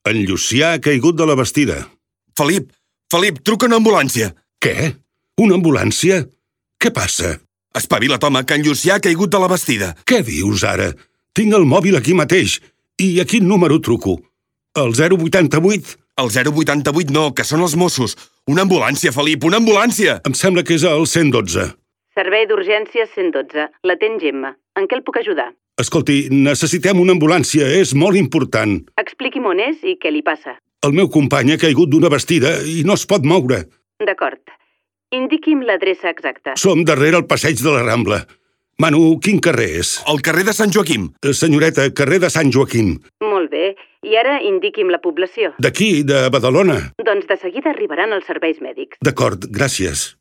En Llucià ha caigut de la bastida. Felip, truca una ambulància. Què? Una ambulància? Què passa? Espavila't, home, que en Llucià ha caigut de la bastida. Què dius ara? Tinc el mòbil aquí mateix. I a quin número truco? El 088? El 088 no, que són els Mossos. Una ambulància, Felip, una ambulància! Em sembla que és el 112. Servei d'urgències 112. L'atén Gemma. En què el puc ajudar? Escolti, necessitem una ambulància, és molt important. Expliqui'm on és i què li passa. El meu company ha caigut d'una bastida i no es pot moure. D'acord. Indiqui'm l'adreça exacta. Som darrere el passeig de la Rambla. Manu, quin carrer és? El carrer de Sant Joaquim. Senyoreta, carrer de Sant Joaquim. Molt bé. I ara indiqui'm la població. D'aquí, de Badalona. Doncs de seguida arribaran els serveis mèdics. D'acord, gràcies.